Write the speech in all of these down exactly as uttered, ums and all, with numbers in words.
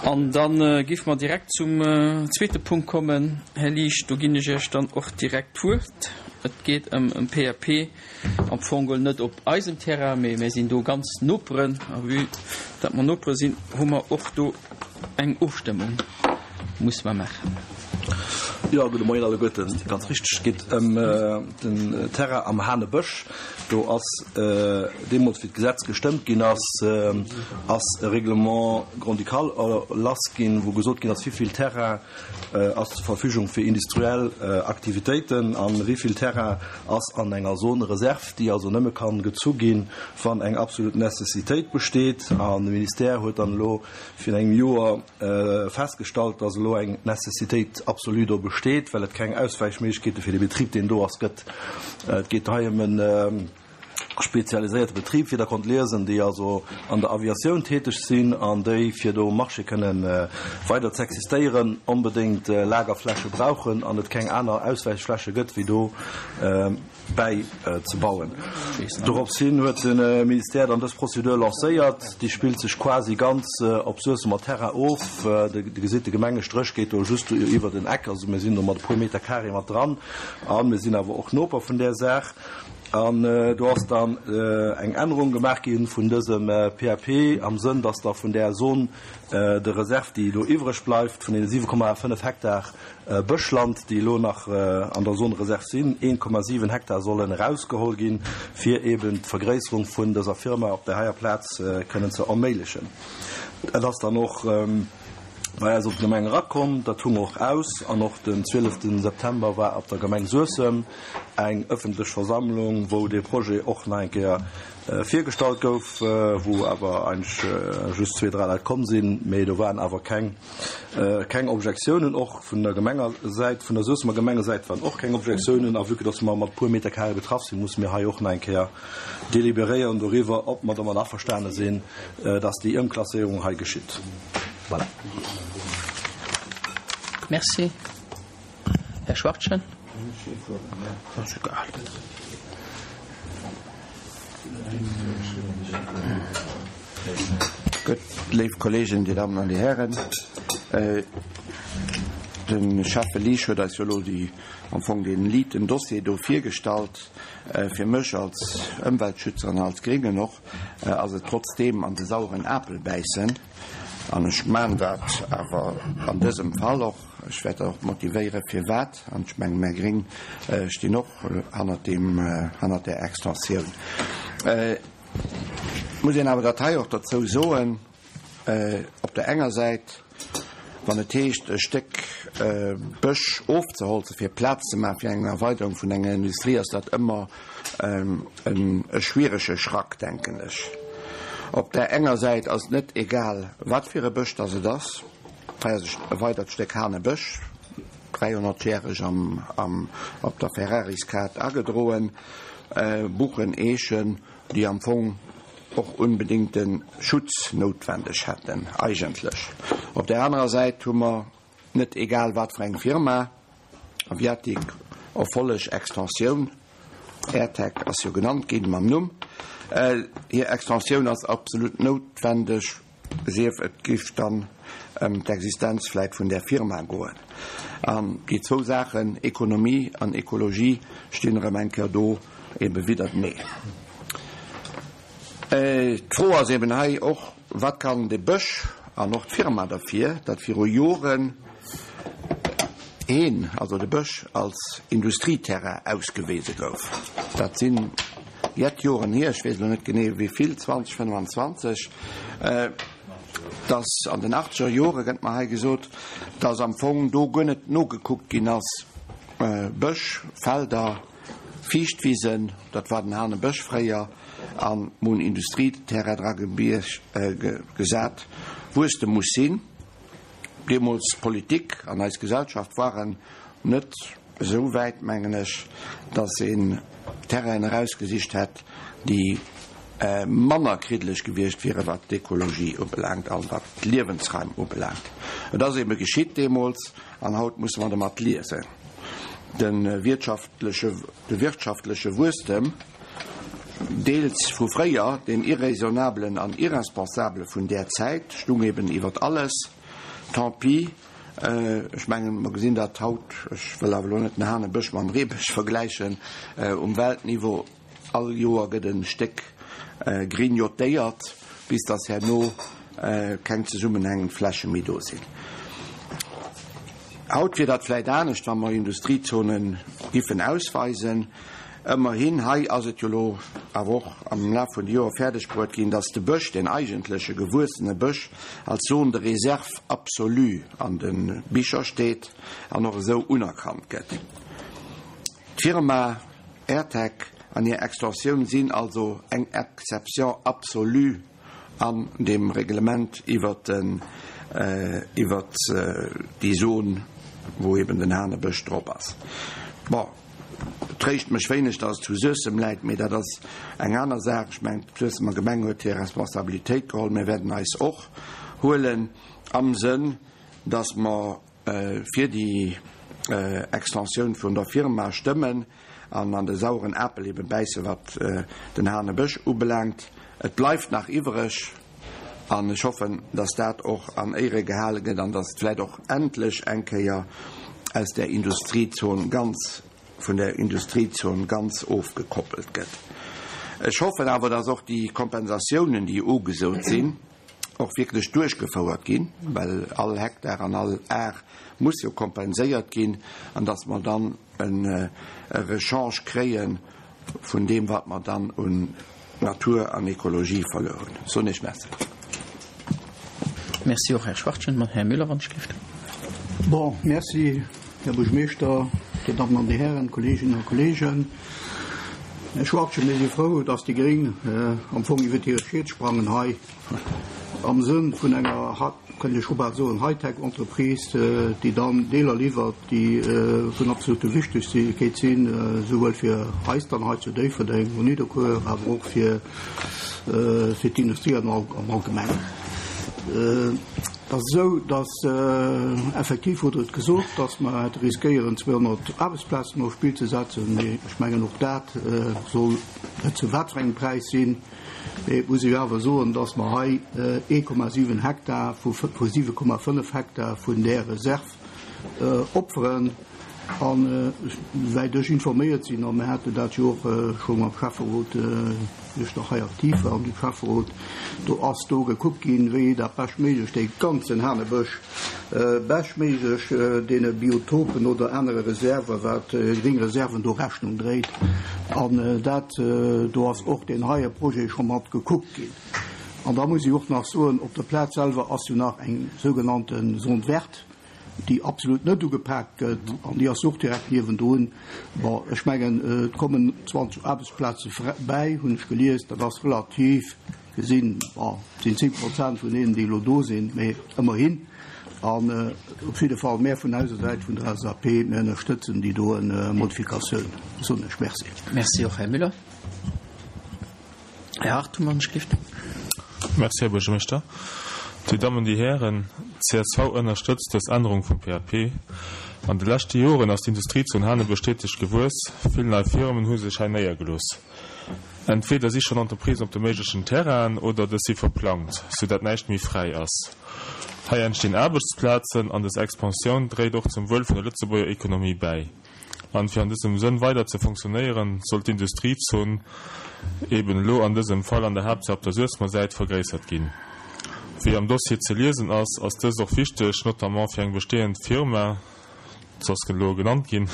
An da géife mer direkt zum zweete Punkt kommen. Här Liesch, do ginn ech Iech dann och direkt d'Wuert. Et geet ëm e P A P, am Fong geholl net op eisem Terrain, mee mir sinn do ganz Noperen. A vue datt mer Nopere sinn, hu mer och do eng Ofstëmmung muss mer maachen. Jo, gudde Moien alleguerten. Ganz richteg, et geet ëm den Terrain am Hanebësch. Do ass deemools, wéi d'Gesetz gestëmmt ginn ass, ass e Règlement grand-ducal erlass ginn, wou gesot ginn ass, wéi vill Terrain ass zur Verfügung fir industriell Aktivitéiten a wéi vill Terrain ass an enger Zone réserve, déi also nëmme kann gezu ginn, wann eng absolut Necessitéit besteet. An de Ministère huet dann elo virun engem Joer festgestallt, dass elo eng Necessitéit absolue do besteet, well et keng Auswäichméiglechkeete fir de Betrib, deen do ass, gëtt. Et geet hei ëm e spezialiséierte Betrib, wéi Der konnt liesen, déi also an der Aviatioun täteg sinn an déi, fir do um Marché kënnen weider ze existéieren, onbedéngt Lagerfläche brauchen an et keng aner Auswäichfläche gëtt, wéi do bäi ze bauen. Dorops hin huet de Ministère dann dës Prozedur lancéiert. Déi spillt sech quasi ganz op Suessemer Terrain of. Dir gesitt, de Gemengestréch geet do just iwwer den Eck. Also mir sinn do mat e puer Meter carré mat dran a mir sinn awer och Noper vun där Saach. An do ass dann eng Ännerung gemaach gi vun dësem P A P am Sënn, dass da vun där Zone de réserve, déi do iwwreg bleift, vun deene siwe Komma fënnef Hektar Bëschland, déi elo nach an der Zone réserve sinn, een Komma siwen Hektar sollen erausgeholl ginn, fir eben d'Vergréisserung vun dëser Firma op där heier Plaz kënnen ze erméiglechen. Et ass dann och bei eis op d'Gemeng erakomm, dat hu mer och aus an och den zwielefte September war op der Gemeng Suessem eng ëffentlech Versammlung, wou dee Projet och nach eng Kéier virgestallt gouf, wou awer eigentlech just zwee, dräi Leit komm sinn, mee do waren awer keng keng Objektiounen. Och vun der Gemengesäit, vun der Suessemer Gemengesäit waren och keng Objektiounen. A vue que dass mer mat puer Meter carré betraff sinn, musse mir hei och nach eng Kéier deliberéieren doriwwer, ob mer domat averstane sinn, dass déi Ëmklasséierung hei geschitt. Voilà. Merci. Här Schwachtgen. Ass egal. Gutt, léif Kollegen, Dir Dammen an Dir Hären, de Schäffe Liesch huet eis jo elo déi, am Fong dee liiten Dossier do virgestallt. Fir mech als Ëmweltschützer an als Gréngen och ass et trotzdeem an de saueren Apel bäissen. An ech maan dat awer an dësem Fall och. Ech wäert och motivéiere firwat. An ech mengen, mär Gréng stinn och hannert deem, hannert där Extensioun. Et muss een awer dat hei och derzou soen, op der enger Säit, wann et heescht, e Stéck Bësch ofzeholze fir Plaz ze maache fir eng Erweiderung vun enger Industrie, ass dat ëmmer e schwierege Schrack, denken ech. Op där enger Säit ass et net egal, wat fir e Bësch dass et ass. Hei ass e weidert Stéck Hanebësch, dräihonnertjäreg am, am, op der Ferrariskaart agedroen, Buchen, Eechen, déi am Fong och unbedéngte Schutz noutwendeg hätten, eigentlech. Op där anerer Säit hu mer net egal wat fir eng Firma, Aviatic, Erfolleg Extensioun, AirTech ass jo genannt ginn mam Numm. Hir Extensioun ass absolut noutwendeg, sief et giff dann ëm d'Existenz vläit vun där Firma goen. An déi zwou Saachen, Ekonomie an Ekologie, stinn erëm eng Kéier do ebe widdertenee. D'Fro ass eben hei och, Wat kann de Bësch an och d'Firma derfir, datt viru Joren een, also de Bësch, als Industrieterrain ausgewise gouf? Dat sinn jett Joren hier, ech weess elo net genee wéi vill, zwanzeg, fënnfanzwanzeg, dass an den achtzeger Jore, gëtt mer hei gesot, dass am Fong do guer net nogekuckt ginn ass, Bësch, Felder, Fiichtwisen, dat war den Hanebësch fréier, a mer hunn Industrieterrain dra gesat, Wuesstem muss sinn. Deemools d'Politik an eis Gesellschaft waren net esou wäit, mengen ech, dass een Terrainen erausgesicht hätt, déi manner kriddeleg gewiescht wieren, wat d'Ekologie ubelaangt an wat d'Liewensraim ubelaangt. Et ass eebe geschitt deemools an haut musse mer domat liesen. De wirtschaftleche, de wirtschaftleche Wuesstem, deels vu fréier, deem Irraisonnablen an Irresponsabele vun där Zäit, stung eben iwwert alles. Tant pis, ech mengen, mer gesinn dat haut, ech wëll awer elo net den Hanebësch mam Reebësch vergläichen, um Weltniveau, all Joer gëtt e Stéck grignotéiert, bis dass herno keng zesummenhängend Fläche méi do sinn. Haut wier dat vläit anescht, wa mer Industriezone giffen ausweisen. Ëmmerhin, hei ass et jo elo awer och am Laf vun de Joer fäerdeg bruet ginn, dass de Bësch, deen eigentleche gewuessene Bësch, als Zone de réserve absolue an de Bicher steet an och esou unerkannt gëtt. D'Firma Airtec an hir Extensioun sinn also eng Exception absolue an deem Reglement iwwert den, iwwert déi Zon, wou eben den Hanebësch drop ass. Bon, et tréischt mech wéineg, dass et zu Suessem läit, mee dat ass eng aner Saach. Ech mengen, d'Suessemer Gemeng huet hir Responsabilitéit geholl. Mir wäerten eis och huelen am Sënn, dass mer fir déi Extensioun vun der Firma stëmmen an an de saueren Apel eben bäisse wat den Hanebësch ubelaangt. Et bleift nach iwwereg an ech hoffen, dass dat och an Éiere gehale gëtt an dass et vläicht och endlech eng Kéier aus där Industriezon ganz, vun där Industriezon ganz ofgekoppelt gëtt. Ech hoffen awer, dass och déi Kompensatiounen, déi ugesot sinn, och wierklech duerchgefouert ginn, well all Hektar an all Ar muss jo kompenséiert ginn, an dass mer dann e Rechange kréie vun deem, wat mer dann un Natur an Ekologie verluer hunn. Soen Iech Merci. Merci och, Här Schwachtgen. Här Müller, wann ech gelift. Bon, merci, Här Buergermeeschter, Dir Dammen an Dir Hären, Kolleeginnen a Kolleegen. Här Schwachtgen, mir si frou, dass déi Gréng am Fong iwwert hire Schiet sprangen hei am Sënn vun enger, kënnt ee scho bal soen, Hightech-Entreprise, déi dann Deeler liwwert, déi vun absolute Wichtegkeet sinn, souwuel fir eis dann hei zu Déifferdeng un Nidderkuer, awer och fir d'Industrie am Allgemengen. Et ass esou, dass effektiv hutt Der et gesot, dass mer hätte riskéieren, zweehonnert Aarbechtsplazen au Spill ze setzen, mee ech mengen, och dat soll net zu wat fir engem Präis sinn. Mee et muss ee jo awer soen, dass mer hei ee Komma siwen Hektar vu siwe Komma fënnef Hektar vun där Reserv opferen. An esouwäit ech informéiert sinn, a mir haten dat jo och scho mam Schäfferot, wéi ech nach hei aktiv war am Schäfferot, do ass do gekuckt ginn, wéi dat beschtméiglech dee ganzen Hanebësch beschtméiglech deene Biotopen oder anere Reserven, wat gréng Reserven do Rechnung dréit. An dat do ass och deen heie Projet scho mat gekuckt ginn. An da muss ech och nach soen, op der Plaz selwer ass jo nach eng sougenannte Zone verte, déi absolut net ugepaakt gëtt, an déi ass och direkt niewendrun. Bon, ech mengen, et kommen zwanzeg Aarbechtsplaze bäi, hunn ech gelies. Dat ass relativ gesinn, bon, et sinn zéng Prozent vun deenen, déi elo do sinn, mee ëmmerhin. An op jidde Fall, mär vun eiser Säit, vun der L S A P, mir ënnerstëtzen déi doen Modifikatioun, soen ech. Merci. Merci och, Här Müller. Här Hartung, wann ech gelift. Merci, Här Buergermeeschter. Dir Dammen, Dir Hären, C S V ënnerstëtzt dës Ännerung vum P A P. An de leschte Joren ass d'Industriezon Hanebësch steeteg gewuess. Vill nei Firmen hu sech hei néiergelooss. Entweder si schonn Entreprisen op de méiglechen Terrainen oder dës si verplangt, soudatt näischt méi fräi ass. Hei entstinn Aarbechtsplazen an dës Expansioun dréit och zum Wuel vun der Lëtzebuerger Ekonomie bäi. An fir an dësem Sënn weider ze funktionéieren, soll d'Industriezon eben elo an dësem Fall an der Haaptsaach op der Suessemer Säit vergréissert ginn. Wéi am Dossier ze liesen ass, ass dëst och wichteg, notamment fir eng bestehend Firma, dat ass elo genannt ginn,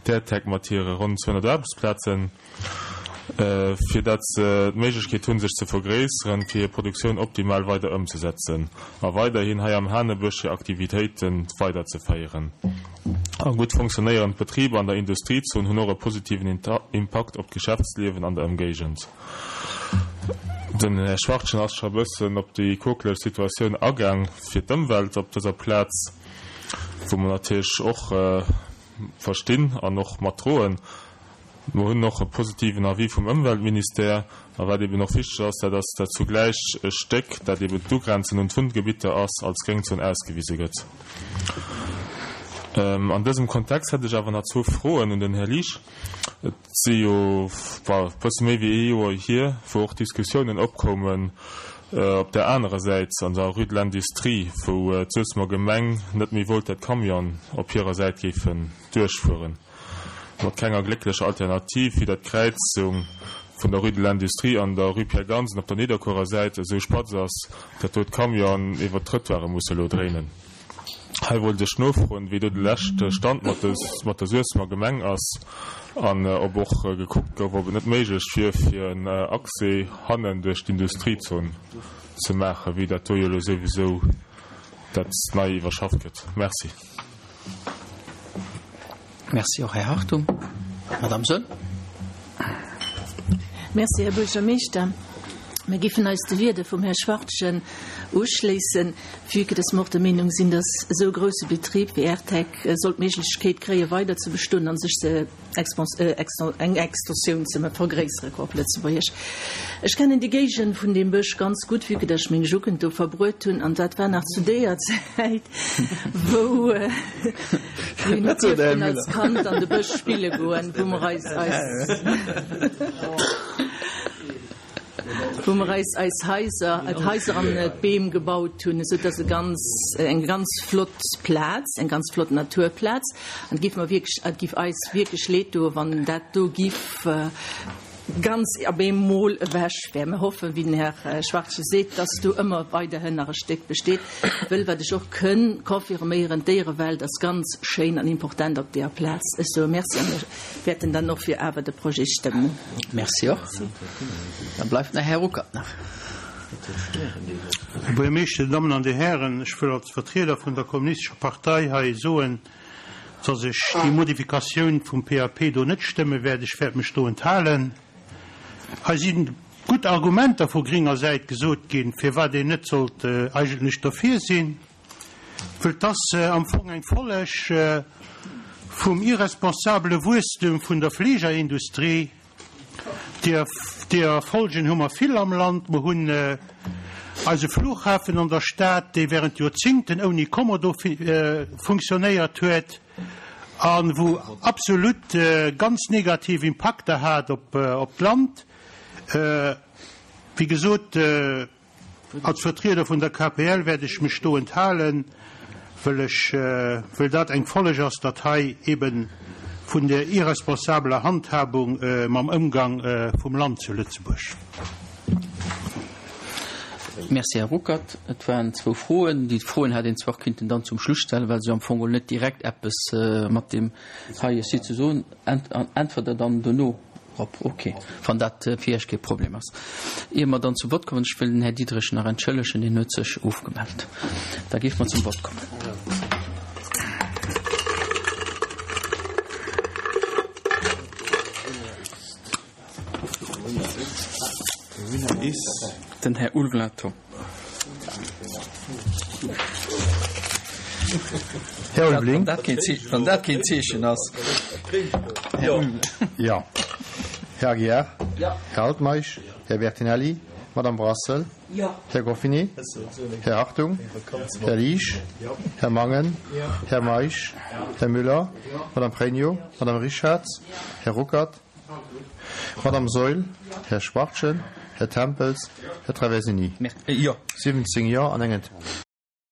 d'Airtec mat hire ronn zweehonnert Aarbechtsplazen, fir dat se d'Méiglechkeet hunn, sech ze vergréisseren, fir hir Produktioun optimal weider ëmzesetzen a weiderhin hei am Hanebësch hir Aktivitéite weiderzeféieren. A gutt funktionéierend Betriber an der Industriezon hunn och e positiven Impakt op d'Geschäftsliewen an der Ëmgéigend. Den Här Schwachtgen ass scho e bëssen op déi quokeleg Situatioun agaang fir d'Ëmwelt op dëser Plaz, wou mer natierlech och verstinn an och matdroen. Mer hunn och e positiven Avis vum Ëmweltministère. A wat eben och wichteg ass, dat ass, dat zugläich e Stéck, dat eben d'Ugrenzen un d'Wunngebitter ass, als Gréngzon ausgewise gëtt. An dësem Kontext hätt ech awer nach zwou Froen un den Här Liesch. Et si jo e bësse méi wéi ee Joer hier, wou och Diskussiounen opkoumen op där anerer Säit, an der Rue de l'Industrie, wou d'Suessemer Gemeng net méi wollt, dat d'Camionen op hirer Säit géifen duerchfueren, mat kenger glécklecher Alternativ, wéi dat d'Kräizung vun der Rue de l'Industrie an der Rue Pierre Gansen op der Nidderkuerer Säit esou spatz ass, dat do d'Camionen iwwert d'Trëttoire musse elo dréinen. Hei wollt ech nofroen, wéi do de leschte Stand mat der Suessemer Gemeng ass an ob och gekuckt gouf, ob et net méiglech wier, fir en Accès hannen duerch d'Industriezon ze maachen, wéi dat do jo elo souwisou dat nei iwwerschafft gëtt. Merci. Merci och, Här Hartung. Madame Saeul. Merci, Här Buergermeeschter. Mir giffen eis de Wieder vum Här Schwartgen uschléissen, vue que dass mer och der Meenung sinn, dass esou e grouse Betrib wéi Airtec soll d'Méiglechkeet kréie weider ze bestoen a sech ze eng Extensioun ze vergréissere, op Lëtzebuergesch. Ech kennen déi Géigend vun deem Bësch ganz gutt, vue que dass ech meng Jugend do verbruet hunn, an dat war nach zu deeër Zäit, wou mir net dierften als Kand an de Bësch spille goen, wou mer eis eis. Wou mer eis eis Haiser, d'Haiser an d'Beem gebaut hunn, esou dass e ganz, eng ganz flott Plaz, eng ganz flott Naturplaz. An et giff mer wierklech, et giff eis wierklech leed doen, wann dat do giff ganz op eemol ewech wär. Mer hoffen, wéi den Här Schwachtgen seet, dass do ëmmer weiderhin nach e Stéck besteet, wëll, wat ech och kënn confirméieren, d'Déierewelt ass ganz schéin an important op deeër Plaz. Ech soe Merci a mir wäerten dann och fir awer de Projet stëmmen. Merci och. Da bleift nach Här Ruckert nach. Här Buergermeeschter, Dir Dammen an Dir Hären, ech wëll als Vertrieder vun der Kommunistescher Partei hei soen, dass ech déi Modifikatioun vum P A P do net stëmme wäert. Ech wäert mech do enthalen. Hei si gutt Argumenter vu gringer Säit gesot ginn, firwat een net sollt eigentlech dofir sinn, wëll 't ass am Fong eng Folleg vum irresponsabele Wuesstem vun der Fleegerindustrie. Deeër Folgen hu mer vill am Land. Mer hunn eise Flughafen an der Stad, dee während Joerzingten ouni Kommodo funktionéiert huet a wou absolut ganz negativ Impakter hat op d'Land. Wéi gesot, als Vertrieder vun der K P L wäert ech mech do enthalen, wëll ech, wëll dat eng Folleg ass, datt hei eben vun der irresponsabeler Handhabung mam Ëmgang vum Land zu Lëtzebuerg. Merci, Här Ruckert. Et waren zwou Froen. Déi Froen hätt een zwar kinnten dann zum Schluss stellen, well se am Fong net direkt eppes mat deem heie Site ze soen. Äntwert Der dann dono drop? Okay, wann dat fir Iech kee Problem ass. Ier mer dann zum Vott kommen, ech wëll den Här Diderich nach entschëllegen, deen huet sech ofgemellt. Da géife mer zum Vott kommen. Den Här Ulveling Tom. Här Ulveling. Wann dat keen Zeechen ass. Jo. Här Aguiar. Här Altmeisch. Här Bertinelli. Madame Brassel. Här Goffinet. Här Hartung. Här Liesch. Här Mangen. Här Meisch. Här Müller. Madame Pregno. Madame Richartz. Här Ruckert. Madame Saeul. Här Schwachtgen. Här Tempels. Här Traversini. Jo. siwwenzéng Jo an eng Enthalung.